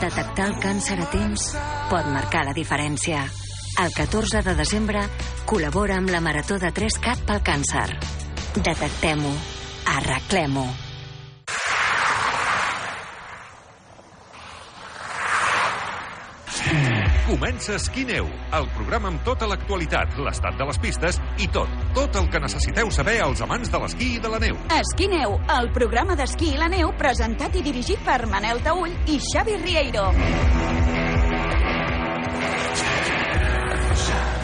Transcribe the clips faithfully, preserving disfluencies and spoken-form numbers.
Detectar el càncer a temps pot marcar la diferència. El catorze de desembre col·labora amb la Marató de tres cat pel càncer. Detectem-ho. Arreglem-ho. Comença Esquí-Neu, el programa amb tota l'actualitat, l'estat de les pistes i tot, tot el que necessiteu saber als amants de l'esquí i de la neu. Esquí-Neu, el programa d'esquí i la neu presentat i dirigit per Manel Taüll i Xavi Rieiro.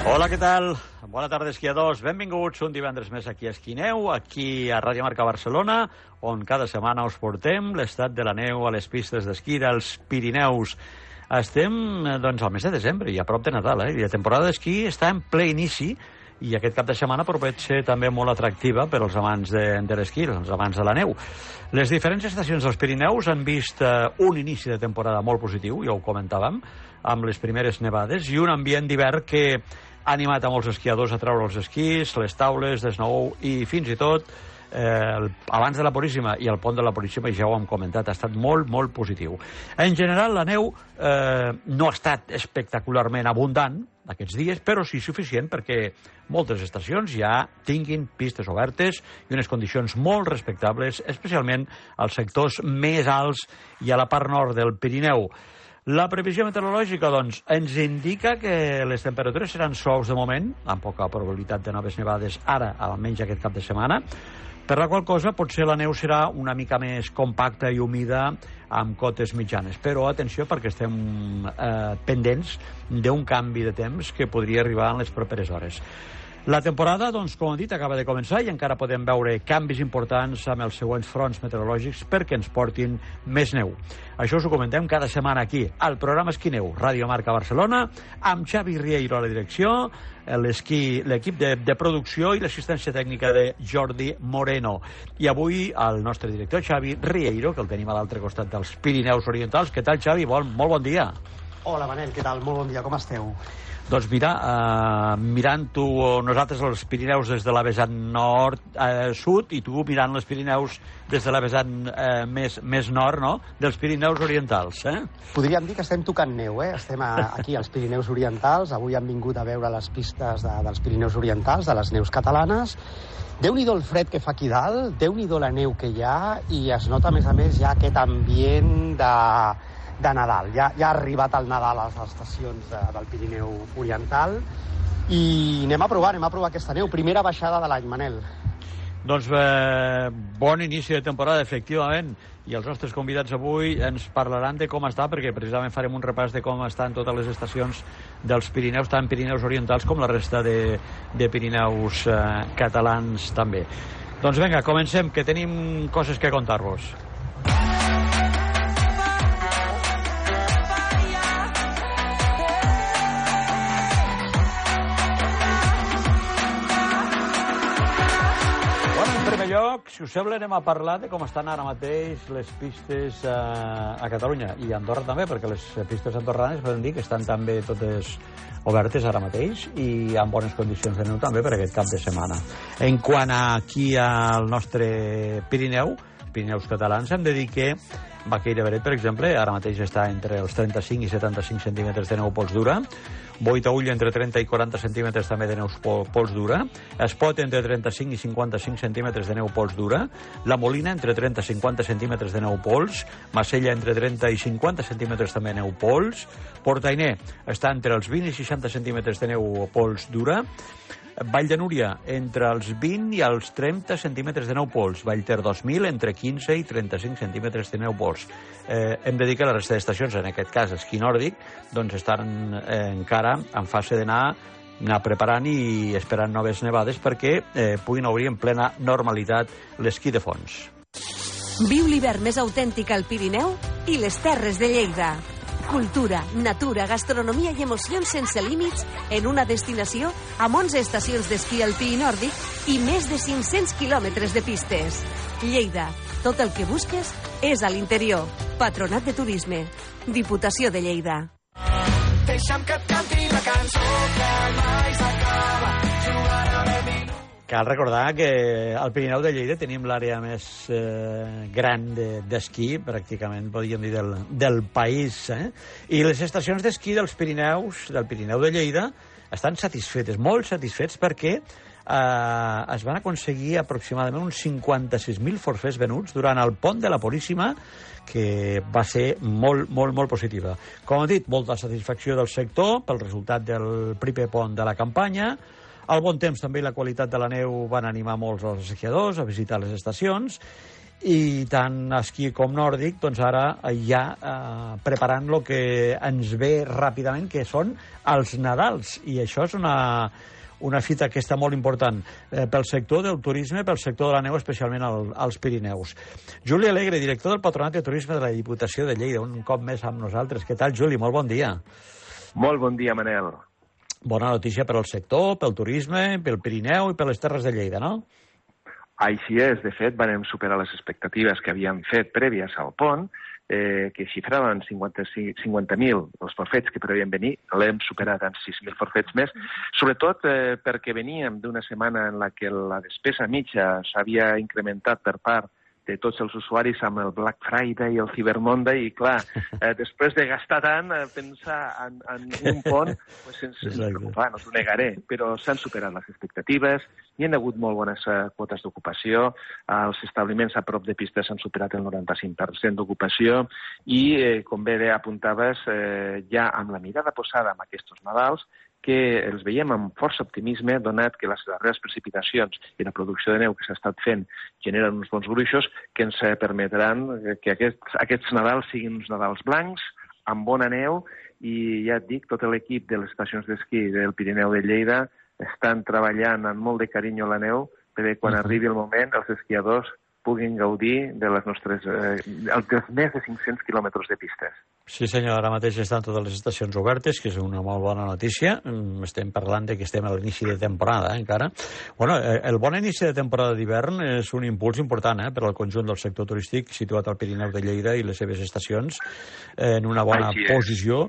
Hola, què tal? Bona tarda, esquiadors. Benvinguts un divendres més aquí a Esquí-Neu, aquí a Ràdio Marca Barcelona, on cada setmana us portem l'estat de la neu a les pistes d'esquí dels Pirineus. Estem, doncs, al mes de desembre i a prop de Nadal, eh? I la temporada d'esquí està en ple inici i aquest cap de setmana pot ser també molt atractiva per als amants de, de l'esquí, els amants de la neu. Les diferents estacions dels Pirineus han vist eh, un inici de temporada molt positiu, ja ho comentàvem, amb les primeres nevades i un ambient d'hivern que ha animat a molts esquiadors a treure els esquís, les taules de snow i fins i tot Eh, abans de la Puríssima i el pont de la Puríssima, ja ho hem comentat, ha estat molt, molt positiu. En general, la neu eh, no ha estat espectacularment abundant aquests dies, però sí suficient perquè moltes estacions ja tinguin pistes obertes i unes condicions molt respectables, especialment als sectors més alts i a la part nord del Pirineu. La previsió meteorològica, doncs, ens indica que les temperatures seran suaus de moment, amb poca probabilitat de noves nevades ara, almenys aquest cap de setmana, per la qual cosa potser la neu serà una mica més compacta i humida amb cotes mitjanes. Però atenció, perquè estem eh, pendents d'un canvi de temps que podria arribar en les properes hores. La temporada, doncs, com hem dit, acaba de començar i encara podem veure canvis importants amb els següents fronts meteorològics perquè ens portin més neu. Això us ho comentem cada setmana aquí, al programa Esquí-Neu, Ràdio Marca Barcelona, amb Xavi Rieiro a la direcció, l'equip de, de producció i l'assistència tècnica de Jordi Moreno. I avui el nostre director, Xavi Rieiro, que el tenim a l'altre costat dels Pirineus Orientals. Què tal, Xavi? Bon, molt bon dia. Hola, Manel, què tal? Molt bon dia, com esteu? Doncs mira, uh, mirant tu nosaltres els Pirineus des de la vessant nord, uh, sud, i tu mirant els Pirineus des de la vessant uh, més, més nord, no?, dels Pirineus Orientals, eh? Podríem dir que estem tocant neu, eh? Estem a, aquí als Pirineus Orientals, avui hem vingut a veure les pistes de, dels Pirineus Orientals, de les neus catalanes. Déu-n'hi-do el fred que fa aquí dalt, Déu-n'hi-do la neu que hi ha, i es nota, a més a més, ja aquest ambient de... de Nadal. Ja, ja ha arribat el Nadal a les estacions de, del Pirineu Oriental i anem a provar, anem a provar aquesta neu. Primera baixada de l'any, Manel. Doncs eh, bon inici de temporada, efectivament, i els nostres convidats avui ens parlaran de com està, perquè precisament farem un repàs de com estan totes les estacions dels Pirineus, tant Pirineus Orientals com la resta de, de Pirineus eh, catalans també. Doncs vinga, comencem, que tenim coses que contar-vos. Lloc, si us sembla, anem a parlar de com estan ara mateix les pistes eh, a Catalunya i a Andorra també, perquè les pistes andorranes podem dir que estan també totes obertes ara mateix i amb bones condicions de neu també per aquest cap de setmana. En quant a aquí al nostre Pirineu, Pirineus catalans, hem de dir que Baqueira Beret, per exemple, ara mateix està entre els trenta-cinc i setanta-cinc centímetres de neu pols dura, Boitaull entre trenta i quaranta centímetres també de neu pols dura, Espot entre trenta-cinc i cinquanta-cinc centímetres de neu pols dura, La Molina entre trenta i cinquanta centímetres de neu pols, Macella entre trenta i cinquanta centímetres també de neu pols, Portainer està entre els vint i seixanta centímetres de neu pols dura, Vall de Núria entre els vint i els trenta centímetres de neu pols, Vallter dos mil entre quinze i trenta-cinc centímetres de neu pols. Eh, hem de dir que la resta d'estacions, en aquest cas esquí nòrdic, doncs estan eh, encara en fase d'anar anar preparant i esperant noves nevades perquè eh, puguin obrir en plena normalitat l'esquí de fons. Viu l'hivern més autèntic al Pirineu i les Terres de Lleida. Cultura, natura, gastronomia i emocions sense límits en una destinació amb onze estacions d'esquí alpí i nòrdic i més de cinc-cents quilòmetres de pistes. Lleida, tot el que busques és a l'interior. Patronat de Turisme. Diputació de Lleida. Deixa'm que et canti la cançó que mai s'acaba. Jugar a mi. Cal recordar que al Pirineu de Lleida tenim l'àrea més eh, gran d'esquí, de, pràcticament, podríem dir, del, del país. Eh? I les estacions d'esquí dels Pirineus, del Pirineu de Lleida, estan satisfetes, molt satisfets, perquè eh, es van aconseguir aproximadament uns cinquanta-sis mil forfets venuts durant el pont de la Puríssima, que va ser molt, molt, molt positiva. Com he dit, molta satisfacció del sector pel resultat del primer pont de la campanya. El bon temps també i la qualitat de la neu van animar molts els esquiadors a visitar les estacions, i tant esquí com nòrdic, doncs ara ja eh, preparant el que ens ve ràpidament, que són els Nadals, i això és una, una fita que està molt important eh, pel sector del turisme, pel sector de la neu, especialment al, als Pirineus. Juli Alegre, director del Patronat de Turisme de la Diputació de Lleida, un cop més amb nosaltres. Què tal, Juli? Molt bon dia. Molt bon dia, Manel. Bona notícia per al sector, pel turisme, pel Pirineu i per les Terres de Lleida, no? Així és. De fet, vam superar les expectatives que havíem fet prèvies al pont, eh, que xifraven cinquanta mil els forfets que preveien venir. L'hem superat en sis mil forfets més, sobretot eh, perquè veníem d'una setmana en la que la despesa mitja s'havia incrementat per part de tots els usuaris amb el Black Friday i el Cyber Monday, i clar, eh, després de gastar tant, eh, pensar en, en un pont, pues ens, ens preocupa, no t'ho negaré, però s'han superat les expectatives, hi ha hagut molt bones eh, quotes d'ocupació, eh, els establiments a prop de pistes han superat el noranta-cinc per cent d'ocupació, i, eh, com bé apuntaves, eh, ja amb la mirada posada en aquests Nadals, que els veiem amb força optimisme, donat que les darreres precipitacions i la producció de neu que s'ha estat fent generen uns bons gruixos que ens permetran que aquests, aquests Nadals siguin uns Nadals blancs, amb bona neu, i ja et dic, tot l'equip de les estacions d'esquí del Pirineu de Lleida estan treballant amb molt de carinyo la neu perquè quan arribi el moment els esquiadors puguin gaudir de les nostres, eh, dels més de cinc-cents quilòmetres de pistes. Sí, senyor, ara mateix estan totes les estacions obertes, que és una molt bona notícia. Estem parlant de que estem a l'inici de temporada, eh, encara. Bueno, el bon inici de temporada d'hivern és un impuls important eh, per al conjunt del sector turístic situat al Pirineu de Lleida i les seves estacions eh, en una bona posició.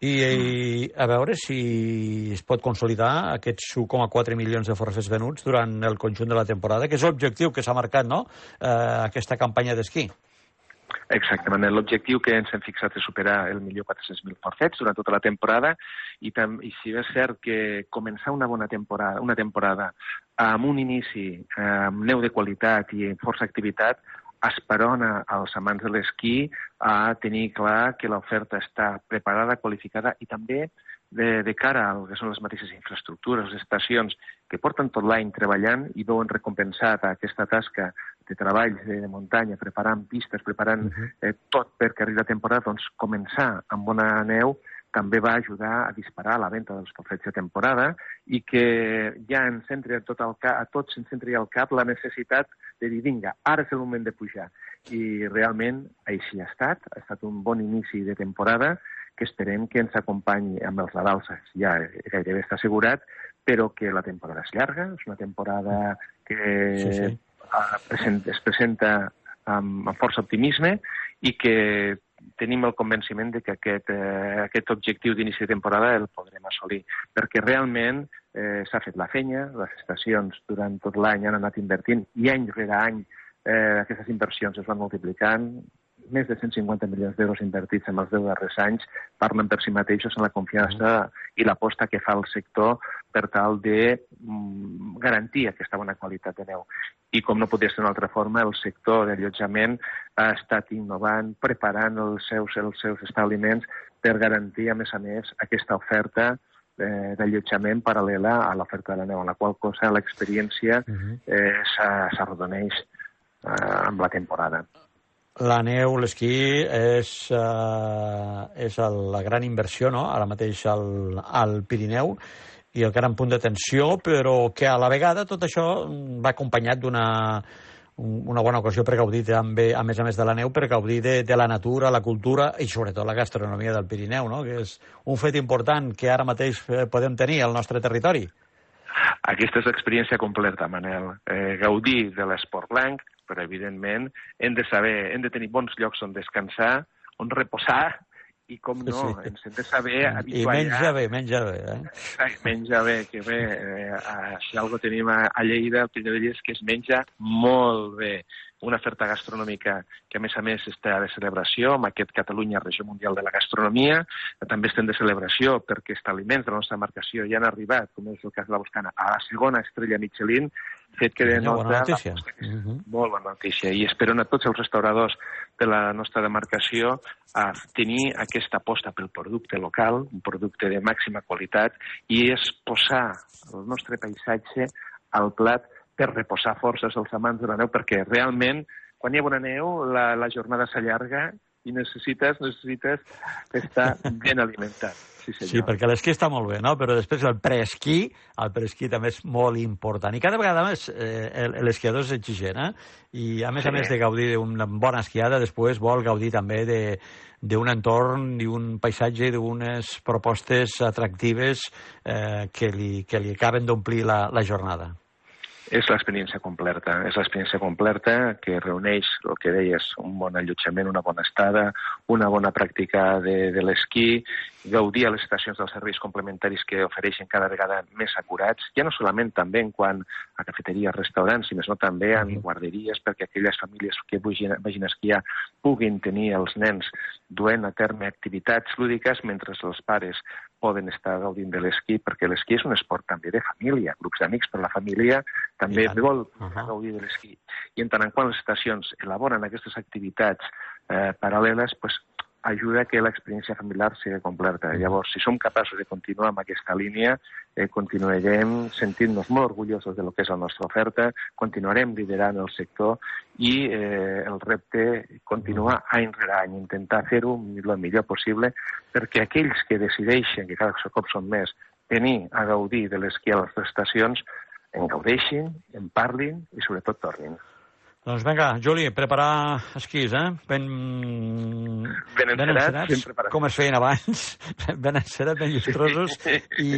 I, I a veure si es pot consolidar aquests un coma quatre milions de forfets venuts durant el conjunt de la temporada, que és l'objectiu que s'ha marcat, no?, eh, aquesta campanya d'esquí. Exactament. L'objectiu que ens hem fixat és superar el milió quatre-cents mil forfets durant tota la temporada, i, tam i si és cert que començar una bona temporada, una temporada amb un inici amb neu de qualitat i amb força activitat, esperona als amants de l'esquí a tenir clar que l'oferta està preparada, qualificada, i també de, de cara al que són les mateixes infraestructures, les estacions que porten tot l'any treballant i veuen recompensat aquesta tasca de treball de, de muntanya, preparant pistes, preparant eh, tot perquè arribi la temporada, doncs començar amb bona neu també va ajudar a disparar la venda dels forfets de temporada i que ja ens centri tot el cap, a tots ens centri al cap la necessitat de dir, vinga, ara és el moment de pujar. I realment així ha estat, ha estat un bon inici de temporada que esperem que ens acompanyi amb els Nadals, ja gairebé està assegurat, però que la temporada és llarga, és una temporada que sí, sí. es presenta amb, amb força optimisme i que tenim el convenciment de que aquest, eh, aquest objectiu d'inici de temporada el podrem assolir, perquè realment eh, s'ha fet la feina, les estacions durant tot l'any han anat invertint i any rere any eh, aquestes inversions es van multiplicant, més de cent cinquanta milions d'euros invertits en els deu darrers anys, parlen per si mateixos en la confiança i l'aposta que fa el sector per tal de mm, garantir aquesta bona qualitat de neu. I com no podia ser d'una altra forma, el sector d'allotjament ha estat innovant, preparant els seus, els seus establiments per garantir, a més a més, aquesta oferta eh, d'allotjament paral·lela a l'oferta de la neu, en la qual cosa l'experiència eh, s'arrodoneix eh, amb la temporada. La neu, l'esquí, és, uh, és el, la gran inversió, no?, ara mateix al, al Pirineu, i el gran punt d'atenció, però que a la vegada tot això va acompanyat d'una una bona ocasió per gaudir també, a més a més de la neu, per gaudir de, de la natura, la cultura i sobretot la gastronomia del Pirineu, no?, que és un fet important que ara mateix podem tenir al nostre territori. Aquesta és l'experiència completa, Manel. Eh, gaudir de l'esport blanc, però evidentment hem de saber, hem de tenir bons llocs on descansar, on reposar i com no, sí. ens hem de saber habituar. I menja bé, menja bé. Eh? Ai, menja bé, que bé. Eh, si algo tenim a, a Lleida, el Pirineu de Lleida, és que es menja molt bé. Una oferta gastronòmica que, a més a més, està de celebració amb aquest Catalunya Regió Mundial de la Gastronomia. També estem de celebració perquè els aliments de la nostra marcació ja han arribat, com és el cas de la Boscana, a la segona estrella Michelin, fet que denota... Bona notícia. La... Uh-huh. Molt bona notícia. I espero a tots els restauradors de la nostra demarcació a tenir aquesta aposta pel producte local, un producte de màxima qualitat, i és posar el nostre paisatge al plat per reposar forces als amants de la neu, perquè realment, quan hi ha bona neu, la, la jornada s'allarga i necessites, necessites estar ben alimentat. Sí, sí, perquè l'esquí està molt bé, no? Però després el preesquí, el preesquí també és molt important. I cada vegada més eh, l'esquiador és exigent, eh? I a més sí. a més de gaudir d'una bona esquiada, després vol gaudir també de d'un entorn i un paisatge d'unes propostes atractives eh, que, li, que li acaben d'omplir la, la jornada. És l'experiència completa, és l'experiència completa que reuneix el que deies, un bon allotjament, una bona estada, una bona pràctica de, de l'esquí, gaudir a les estacions dels serveis complementaris que ofereixen cada vegada més acurats, ja no solament també en quant a cafeteries, restaurants, sinó no també en guarderies, perquè aquelles famílies que vagin, vagin a esquiar puguin tenir els nens duent a terme activitats lúdiques mentre els pares poden estar gaudint de l'esquí, perquè l'esquí és un esport també de família, grups d'amics per la família també yeah. vol uh-huh. gaudir de l'esquí. I en tant en quant les estacions elaboren aquestes activitats eh, paral·leles, pues, ajuda que l'experiència familiar sigui completa. Llavors, si som capaços de continuar amb aquesta línia, eh, continuarem sentint-nos molt orgullosos de lo que és la nostra oferta, continuarem liderant el sector i eh, el repte continuar any rere any, intentar fer-ho el millor possible, perquè aquells que decideixen, que cada cop són més, venir a gaudir de l'esquí a les estacions, en gaudeixin, en parlin i sobretot tornin. Doncs vinga, Juli, preparar esquís, eh? Ben, ben encerats, ben preparats. Com es feien abans, ben encerats, ben llustrosos, i,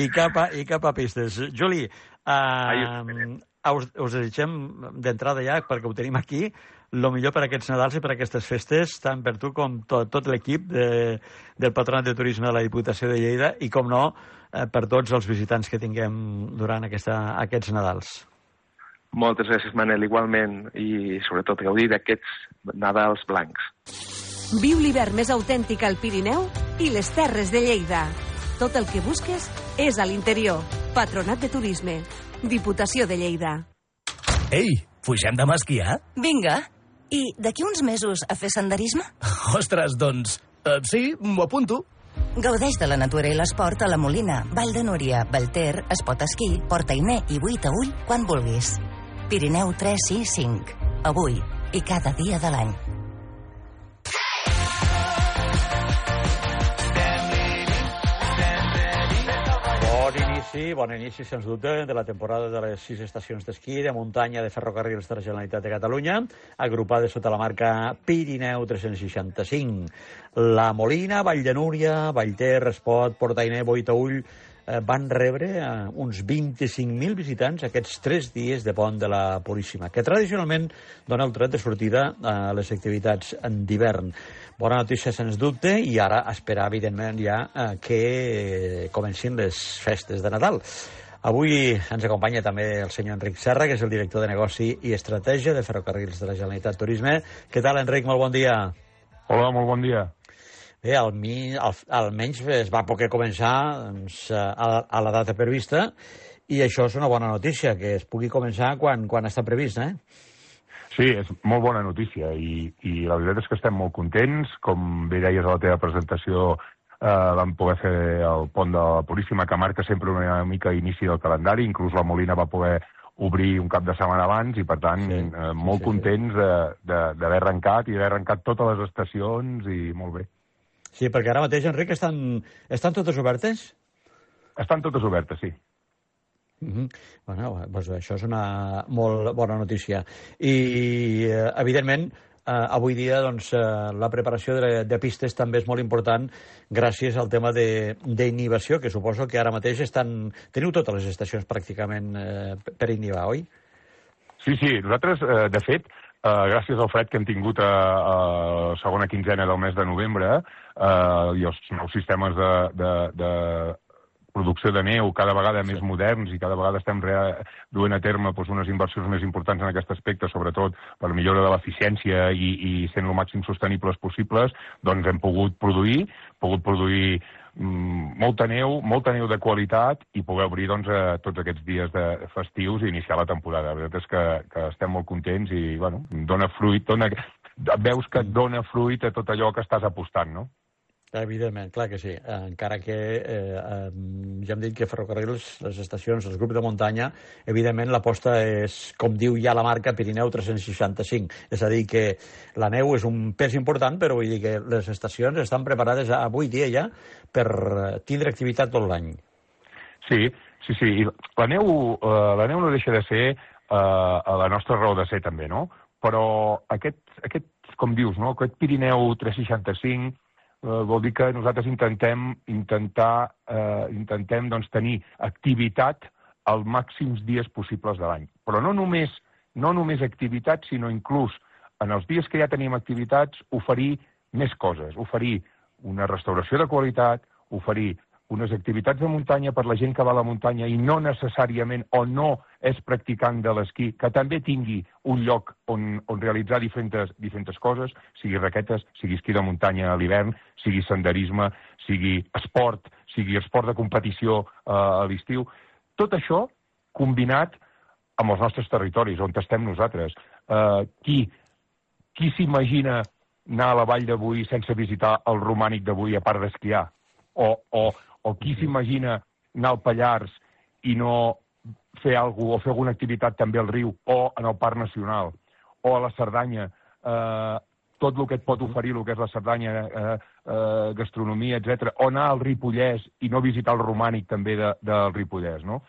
i, cap a, i cap a pistes. Juli, uh, us, us desitgem d'entrada ja, perquè ho tenim aquí, el millor per a aquests Nadals i per a aquestes festes, tant per tu com tot, tot l'equip de, del Patronat de Turisme de la Diputació de Lleida i, com no, eh, per tots els visitants que tinguem durant aquesta, aquests Nadals. Moltes gràcies, Manel, igualment, i sobretot gaudir d'aquests Nadals blancs. Viu l'hivern més autèntic al Pirineu i les Terres de Lleida. Tot el que busques és a l'interior. Patronat de Turisme. Diputació de Lleida. Ei, pugem demà a esquiar? Vinga. I d'aquí uns mesos a fer senderisme? Ostres, doncs, uh, sí, m'ho apunto. Gaudeix de la natura i l'esport a la Molina, Vall de Núria, Vallter, Espot Esquí, Portainer i Buitaüll quan vulguis. Pirineu tres sis cinc. Avui i cada dia de l'any. Bon inici, bon inici, sens dubte, de la temporada de les sis estacions d'esquí de muntanya de ferrocarrils de la Generalitat de Catalunya, agrupades sota la marca Pirineu tres-cents seixanta-cinc. La Molina, Vall de Núria, Vallter, Espot, Portainer, Buitaüll eh, van rebre eh, uns vint-i-cinc mil visitants aquests tres dies de pont de la Puríssima, que tradicionalment dona el tret de sortida a les activitats d'hivern. Bona notícia, sens dubte, i ara esperar, evidentment, ja eh, que comencin les festes de Nadal. Avui ens acompanya també el senyor Enric Serra, que és el director de Negoci i Estratègia de Ferrocarrils de la Generalitat Turisme. Què tal, Enric? Molt bon dia. Hola, molt bon dia. Bé, al mi, al, almenys es va poder començar doncs, a, a la data prevista, i això és una bona notícia, que es pugui començar quan, quan està previst, eh? Sí, és molt bona notícia, i, i la veritat és que estem molt contents. Com bé deies a la teva presentació, eh, vam poder fer el pont de la Puríssima, que marca sempre una mica inici del calendari. Inclús la Molina va poder obrir un cap de setmana abans, i per tant sí, eh, molt sí, sí, contents d'haver arrencat, i d'haver arrencat totes les estacions, i molt bé. Sí, perquè ara mateix, Enric, estan, estan totes obertes? Estan totes obertes, sí. Mm-hmm. Bueno, doncs això és una molt bona notícia. I, evidentment, eh, avui dia doncs, eh, la preparació de, de pistes també és molt important gràcies al tema d'inhibició, que suposo que ara mateix estan... Teniu totes les estacions pràcticament eh, per inhibar, oi? Sí, sí. Nosaltres, eh, de fet, Uh, gràcies al fred que hem tingut a, a la segona quinzena del mes de novembre uh, i els nous sistemes de, de, de producció de neu cada vegada més moderns i cada vegada estem rea, duent a terme doncs, unes inversions més importants en aquest aspecte, sobretot per millora de l'eficiència i, i sent el màxim sostenibles possibles, doncs hem pogut produir, pogut produir mm, molta neu, molta neu de qualitat i poder obrir doncs, a tots aquests dies de festius i iniciar la temporada. La veritat és que, que estem molt contents i bueno, dona fruit, dona, veus que et dona fruit a tot allò que estàs apostant, no? Evidentment, clar que sí. Encara que eh, eh, ja hem dit que ferrocarrils, les estacions, els grups de muntanya, evidentment l'aposta és, com diu ja la marca, Pirineu tres-cents seixanta-cinc. És a dir, que la neu és un pes important, però vull dir que les estacions estan preparades avui dia ja per tindre activitat tot l'any. Sí, sí, sí. I la neu, eh, la neu no deixa de ser eh, la nostra raó de ser també, no? Però aquest, aquest com dius, no? Aquest Pirineu tres-cents seixanta-cinc Uh, vol dir que nosaltres intentem intentar uh, intentem doncs, tenir activitat als màxims dies possibles de l'any. Però no només, no només activitat, sinó inclús en els dies que ja tenim activitats, oferir més coses, oferir una restauració de qualitat, oferir unes activitats de muntanya per la gent que va a la muntanya i no necessàriament o no és practicant de l'esquí, que també tingui un lloc on, on realitzar diferents, diferents coses, sigui raquetes, sigui esquí de muntanya a l'hivern, sigui senderisme, sigui esport, sigui esport de competició eh, a l'estiu. Tot això combinat amb els nostres territoris, on estem nosaltres. Eh, qui qui s'imagina anar a la Vall de Boí sense visitar el Romànic de Boí a part d'esquiar? O, o, o qui s'imagina anar al Pallars i no fer alguna cosa, o fer alguna activitat també al riu, o en el Parc Nacional, o a la Cerdanya, eh, tot el que et pot oferir el que és la Cerdanya, eh, eh, gastronomia, etcètera, o anar al Ripollès i no visitar el Romànic també de, del Ripollès, no?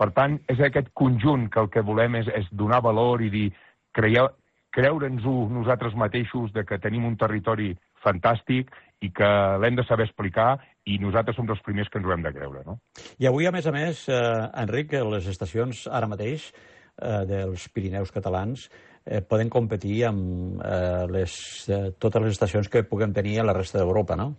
Per tant, és aquest conjunt que el que volem és, és donar valor i dir, creieu, creure'ns-ho nosaltres mateixos de que tenim un territori fantàstic i que l'hem de saber explicar i nosaltres som els primers que ens ho hem de creure, no? I avui, a més a més, eh, Enric, les estacions ara mateix eh, dels Pirineus catalans eh, poden competir amb eh, les, eh, totes les estacions que puguem tenir a la resta d'Europa, no?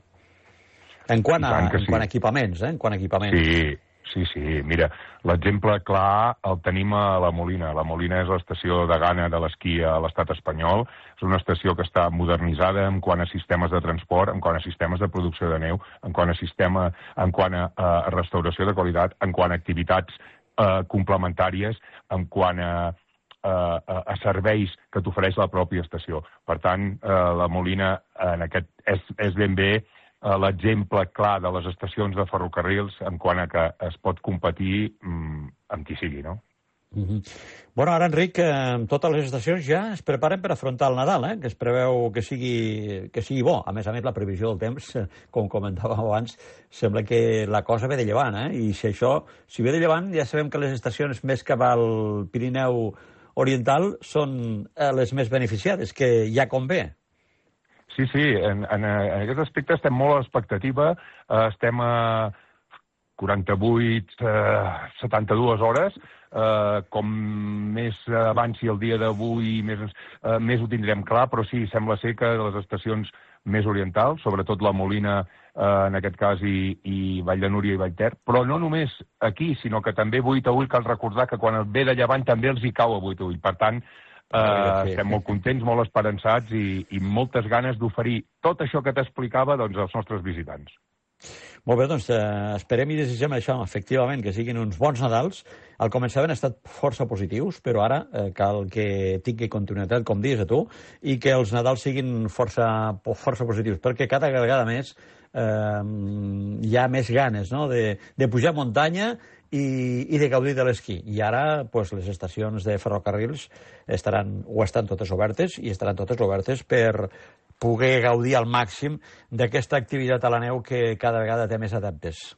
En quant a, en sí. quant a equipaments, eh? En quant a equipaments. Sí, sí, sí. Mira, l'exemple clar el tenim a la Molina. La Molina és l'estació de gana de l'esquí a l'estat espanyol. És una estació que està modernitzada en quant a sistemes de transport, en quant a sistemes de producció de neu, en quant a sistema, en quant a, a restauració de qualitat, en quant a activitats eh, complementàries, en quant a, a, a serveis que t'ofereix la pròpia estació. Per tant, eh, la Molina en aquest és, és ben bé l'exemple clar de les estacions de ferrocarrils en quant a que es pot competir mm, amb qui sigui, no? Mm-hmm. Bueno, ara, Enric, eh, totes les estacions ja es preparen per afrontar el Nadal, eh? Que es preveu que sigui, que sigui bo. A més a més, la previsió del temps, eh, com comentàvem abans, sembla que la cosa ve de llevant, eh? I si això, si ve de llevant, ja sabem que les estacions més cap al Pirineu Oriental són eh, les més beneficiades, que ja convé. Sí, sí, en, en, en aquest aspecte estem molt a l'expectativa, eh, estem a quaranta-vuit, eh, setanta-dues hores, eh, com més avanci el dia d'avui, més, eh, més ho tindrem clar, però sí, sembla ser que les estacions més orientals, sobretot la Molina, eh, en aquest cas, i, i Vall de Núria i Vallter, però no només aquí, sinó que també vuit a ull, cal recordar que quan ve de llevant també els hi cau a vuit a ull, per tant, Uh, estem molt contents, molt esperançats i, i moltes ganes d'oferir tot això que t'explicava doncs, als nostres visitants. Molt bé, doncs eh, esperem i desitgem això, efectivament, que siguin uns bons Nadals. Al començament han estat força positius, però ara eh, cal que tingui continuïtat, com dius a tu, i que els Nadals siguin força, força positius, perquè cada vegada més eh, hi ha més ganes, no?, de, de pujar muntanya i, i de gaudir de l'esquí. I ara pues, les estacions de ferrocarrils estaran, o estan totes obertes i estaran totes obertes per poder gaudir al màxim d'aquesta activitat a la neu que cada vegada té més adeptes.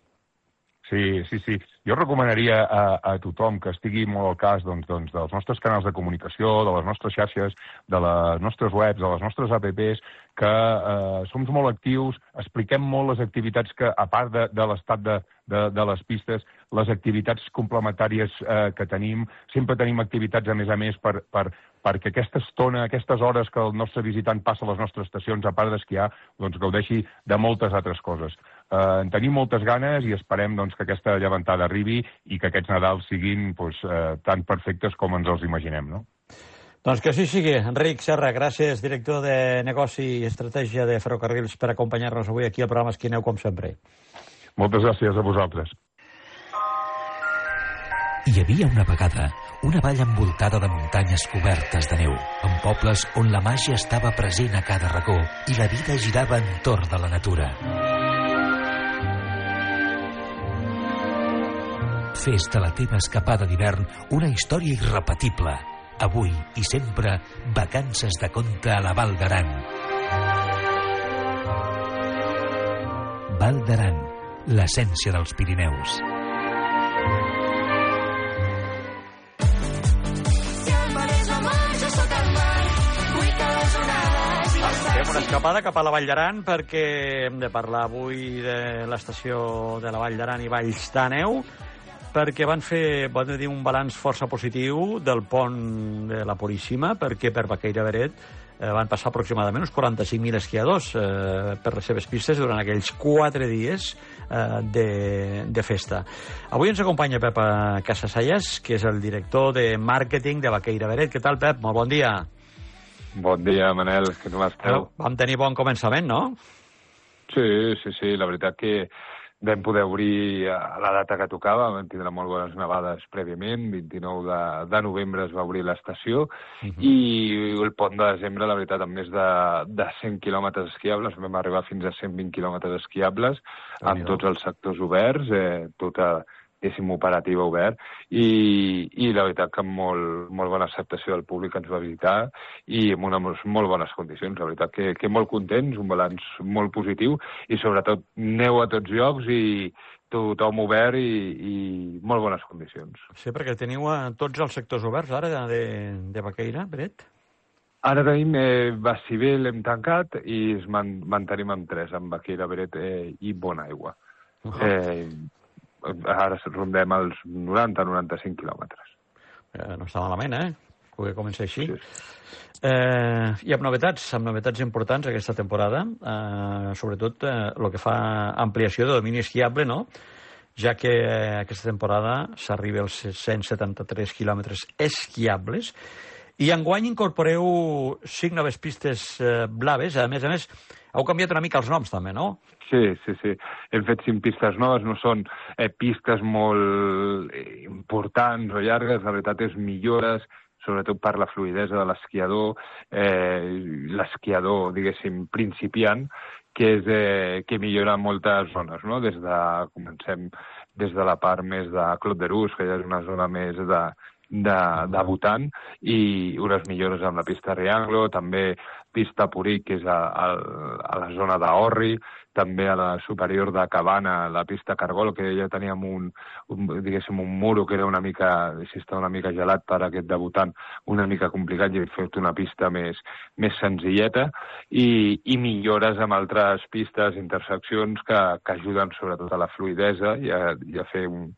Sí, sí, sí. Jo recomanaria a, a tothom que estigui molt al cas doncs, doncs, dels nostres canals de comunicació, de les nostres xarxes, de les nostres webs, de les nostres apps, que eh, som molt actius, expliquem molt les activitats que, a part de, de l'estat de, de, de les pistes, les activitats complementàries eh, que tenim, sempre tenim activitats, a més a més, per, per, perquè aquesta estona, aquestes hores que el nostre visitant passa a les nostres estacions, a part d'esquiar, doncs gaudeixi de moltes altres coses. Eh, en tenim moltes ganes i esperem doncs, que aquesta llevantada arribi i que aquests Nadals siguin doncs, eh, tan perfectes com ens els imaginem, no? Doncs que així sigui. Enric Serra, gràcies, director de Negoci i Estratègia de Ferrocarrils, per acompanyar-nos avui aquí al programa Esquineu, com sempre. Moltes gràcies a vosaltres. Hi havia una vegada una vall envoltada de muntanyes cobertes de neu, amb pobles on la màgia estava present a cada racó i la vida girava entorn de la natura. Fes de la teva escapada d'hivern una història irrepetible. Avui i sempre, vacances de conte a la Val d'Aran. Val d'Aran, l'essència dels Pirineus. Fem una escapada cap a la Vall d'Aran perquè hem de parlar avui de l'estació de la Vall d'Aran i Valls d'Àneu, perquè van fer, van dir, un balanç força positiu del pont de la Puríssima, perquè per Baqueira Beret eh, van passar aproximadament uns quaranta-cinc mil esquiadors eh, per les seves pistes durant aquells quatre dies eh, de, de festa. Avui ens acompanya Pep Casasallas, que és el director de màrqueting de Baqueira Beret. Què tal, Pep? Molt bon dia. Bon dia, Manel, que com esteu? Vam tenir bon començament, no? Sí, sí, sí, la veritat que vam poder obrir a la data que tocava, vam tindre molt bones nevades prèviament, vint-i-nou de, de novembre es va obrir l'estació, uh -huh. i el pont de desembre, la veritat, amb més de, de cent quilòmetres esquiables, vam arribar fins a cent vint quilòmetres esquiables, amb tots els sectors oberts, eh, tota diguéssim, operativa obert, i, i la veritat que amb molt, molt bona acceptació del públic que ens va visitar i amb unes molt bones condicions. La veritat que, que molt contents, un balanç molt positiu i sobretot neu a tots llocs i tothom obert i, i molt bones condicions. Sí, perquè teniu a tots els sectors oberts ara de, de Baqueira, Beret? Ara tenim eh, Baciver, l'hem tancat i es man, mantenim amb tres, amb Baqueira, Beret eh, i Bonaigua. Uh -huh. eh, Ara rondem els noranta a noranta-cinc quilòmetres. Eh, no està malament, eh? Que comença així. Sí. Eh, I amb novetats, amb novetats importants aquesta temporada, eh, sobretot eh, el que fa ampliació de domini esquiable, no? Ja que eh, aquesta temporada s'arriba als cent setanta-tres quilòmetres esquiables, i enguany incorporeu cinc noves pistes eh, blaves. A més a més, heu canviat una mica els noms també, no? Sí, sí, sí. Hem fet cinc pistes noves, no són eh, pistes molt eh, importants o llargues, la veritat és millores, sobretot per la fluidesa de l'esquiador, eh, l'esquiador, diguéssim, principiant, que, és, eh, que millora moltes zones, no? Des de, comencem des de la part més de Clot d'Erús, que ja és una zona més de, de, de Bhutan, i unes millores amb la pista Rianglo, també pista Puric, que és a, a, a la zona d'Orri, també a la superior de Cabana, la pista Cargol, que ja teníem un, un, diguéssim, un muro que era una mica, si està una mica gelat per aquest debutant, una mica complicat, i hem fet una pista més, més senzilleta, i, i millores amb altres pistes, interseccions que, que ajuden sobretot a la fluidesa i a, i a fer un,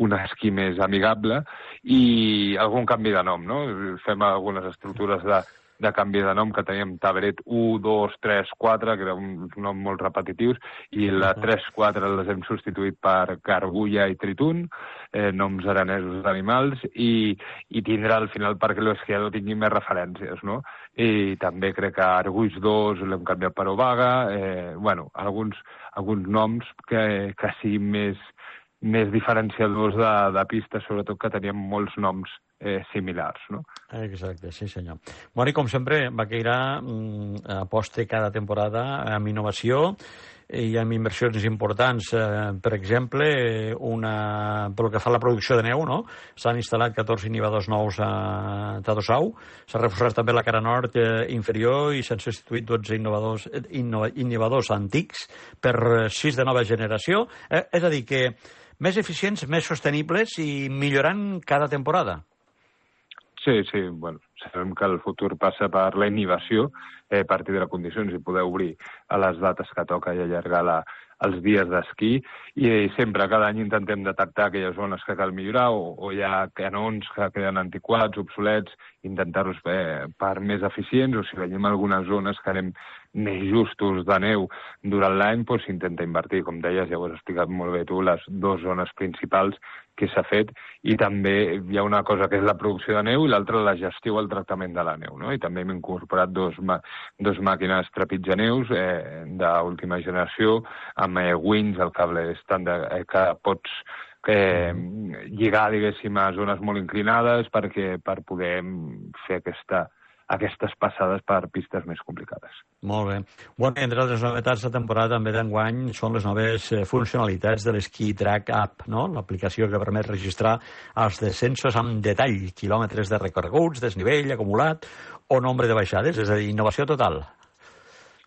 un esquí més amigable, i algun canvi de nom, no? Fem algunes estructures de de canvi de nom, que teníem Taberet u, dos, tres, quatre, que era un nom molt repetitius, i la tres, quatre les hem substituït per Gargulla i Tritun, eh, noms aranesos d'animals, i, i tindrà al final perquè l'esquiador tingui més referències, no? I també crec que Arguix dos l'hem canviat per Obaga, eh, bueno, alguns, alguns noms que, que siguin més, més diferenciadors de, de pistes, sobretot que teníem molts noms eh, similars, no? Exacte, sí senyor. Bueno, i com sempre, Baqueira mm, aposta cada temporada amb innovació i amb inversions importants. Eh, per exemple, una, pel que fa a la producció de neu, no? S'han instal·lat catorze inhibadors nous a Tadossau, s'ha reforçat també la cara nord eh, inferior i s'han substituït dotze innovadors, inno, inhibadors antics per sis de nova generació. Eh, és a dir, que més eficients, més sostenibles i millorant cada temporada. Sí, sí, bueno, sabem que el futur passa per la innovació eh, a partir de les condicions i poder obrir a les dates que toca i allargar la, els dies d'esquí i sempre, cada any intentem detectar aquelles zones que cal millorar o, o hi ha canons que queden antiquats, obsolets, intentar-los fer per més eficients o si veiem algunes zones que anem més justos de neu durant l'any, doncs s'intenta invertir. Com deies, ja ho has explicat molt bé tu, les dues zones principals que s'ha fet i també hi ha una cosa que és la producció de neu i l'altra la gestió o el tractament de la neu, no? I també hem incorporat dos, dos màquines trepitjaneus eh, d'última generació amb eh, wings, el cable estàndard eh, que pots eh, lligar, diguéssim, a zones molt inclinades perquè per poder fer aquesta aquestes passades per pistes més complicades. Molt bé. Bueno, entre les novetats de temporada també d'enguany són les noves funcionalitats de l'Ski Track App, no? L'aplicació que permet registrar els descensos amb detall, quilòmetres de recorreguts, desnivell acumulat o nombre de baixades, és a dir, innovació total.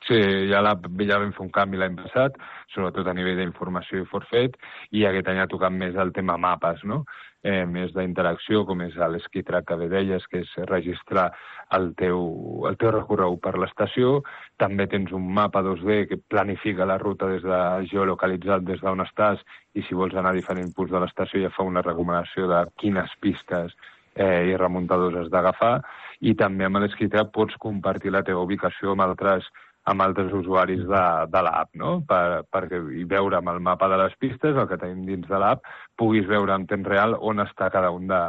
Sí, ja, la, ja vam fer un canvi l'any passat, sobretot a nivell d'informació i forfet, i aquest any ha tocat més el tema mapes, no? Eh, més d'interacció, com és l'Ski Track que bé deies, que és registrar el teu, el teu recorregut per l'estació. També tens un mapa dos D que planifica la ruta des de geolocalitzat des d'on estàs i si vols anar a diferents punts de l'estació ja fa una recomanació de quines pistes eh, i remuntadors has d'agafar. I també amb l'Ski Track pots compartir la teva ubicació amb altres amb altres usuaris de, de l'app, no? Per, perquè i veure amb el mapa de les pistes, el que tenim dins de l'app, puguis veure en temps real on està cada un de,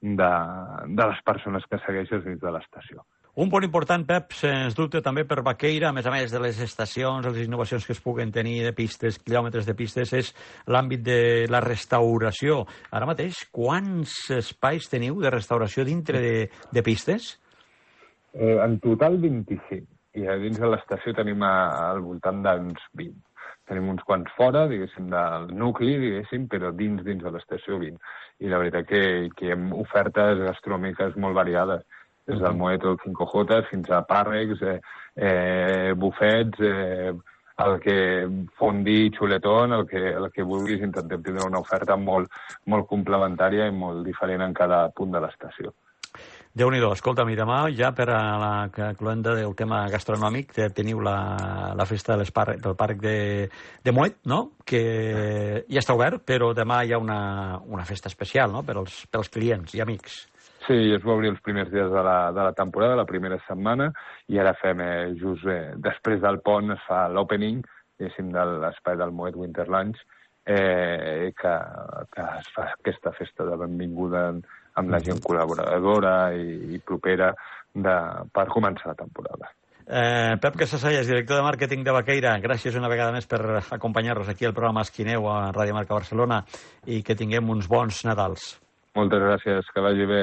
de, de les persones que segueixes dins de l'estació. Un punt important, Pep, sens dubte també per Vaqueira, a més a més de les estacions, les innovacions que es puguen tenir de pistes, quilòmetres de pistes, és l'àmbit de la restauració. Ara mateix, quants espais teniu de restauració dintre de, de pistes? Eh, en total vint-i-cinc. I a dins de l'estació tenim a, al voltant d'uns vint. Tenim uns quants fora, diguéssim, del nucli, diguéssim, però dins dins de l'estació vint. I la veritat que, que hi ha ofertes gastronòmiques molt variades, des del Moeto, el cinco J, fins a pàrrecs, eh, eh, bufets, eh, el que fondi, xuletón, el que, el que vulguis, intentem tindre una oferta molt, molt complementària i molt diferent en cada punt de l'estació. Déu-n'hi-do, escolta'm, i demà ja per a la cloenda del tema gastronòmic teniu la, la festa de parc, del parc de, de Moet, no? Que ja està obert, però demà hi ha una, una festa especial, no? Per als, per als clients i amics. Sí, es va obrir els primers dies de la, de la temporada, la primera setmana, i ara fem eh, just eh, després del pont es fa l'opening, diguéssim, de l'espai del Moet Winterlands, eh, que, que es fa aquesta festa de benvinguda amb la gent col·laboradora i, i propera de, per començar la temporada. Eh, Pep Casasallas, director de màrqueting de Vaqueira, gràcies una vegada més per acompanyar-nos aquí al programa Esquineu a Ràdio Marca Barcelona i que tinguem uns bons Nadals. Moltes gràcies, que vagi bé.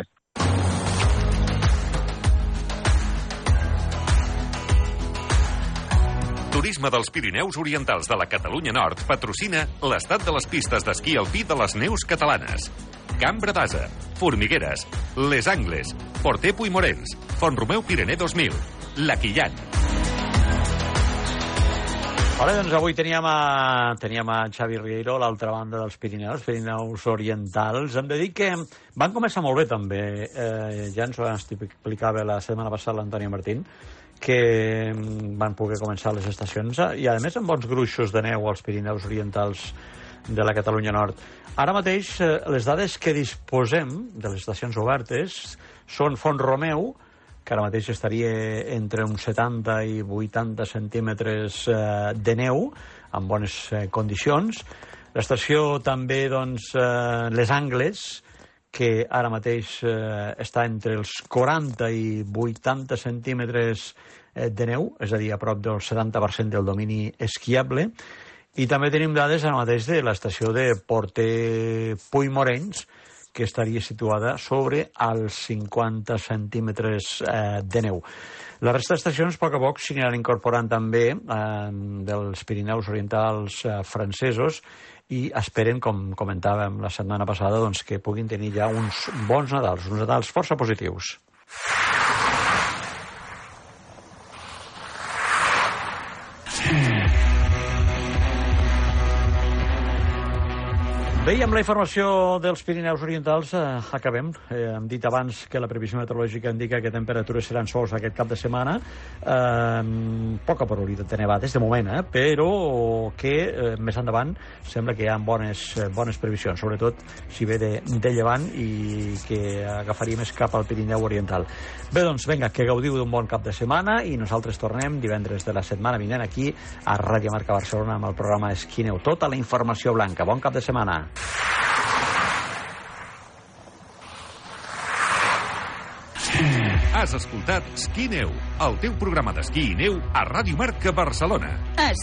Turisme dels Pirineus Orientals de la Catalunya Nord patrocina l'estat de les pistes d'esquí alpí de les neus catalanes. Cambra d'Asa, Formigueres, Les Angles, Porter Puigmorens, Font-romeu Pirener dos mil, La Quillan. Ara, doncs, avui teníem a, teníem a Xavi Riero a l'altra banda dels Pirineus, Pirineus Orientals. Hem de dir que van començar molt bé, també. Eh, ja ens ho explicava la setmana passada l'Antònia Martín, que van poder començar les estacions i, a més, amb bons gruixos de neu als Pirineus Orientals de la Catalunya Nord. Ara mateix, eh, les dades que disposem de les estacions obertes són Font-romeu, que ara mateix estaria entre uns setanta i vuitanta centímetres eh, de neu, en bones eh, condicions. L'estació també, doncs, eh, Les Angles, que ara mateix eh, està entre els quaranta i vuitanta centímetres eh, de neu, és a dir, a prop del setanta per cent del domini esquiable. I també tenim dades ara mateix de l'estació de Porter Puigmorens, que estaria situada sobre els cinquanta centímetres eh, de neu. La resta d'estacions, a poc a poc, s'aniran incorporant també eh, dels Pirineus Orientals eh, francesos i esperen, com comentàvem la setmana passada, doncs, que puguin tenir ja uns bons Nadals, uns Nadals força positius. Bé, i amb la informació dels Pirineus Orientals eh, acabem. Eh, hem dit abans que la previsió meteorològica indica que temperatures seran sols aquest cap de setmana. Eh, poca probabilitat de nevades, de moment, eh, però que eh, més endavant sembla que hi ha bones, bones previsions, sobretot si ve de, de llevant i que agafaria més cap al Pirineu Oriental. Bé, doncs, vinga, que gaudiu d'un bon cap de setmana i nosaltres tornem divendres de la setmana vinent aquí a Ràdio Marca Barcelona amb el programa Esquineu. Tota la informació blanca. Bon cap de setmana. Has escoltat Esquí Neu, el teu programa d'esquí i neu a Ràdio Marca Barcelona. Esquí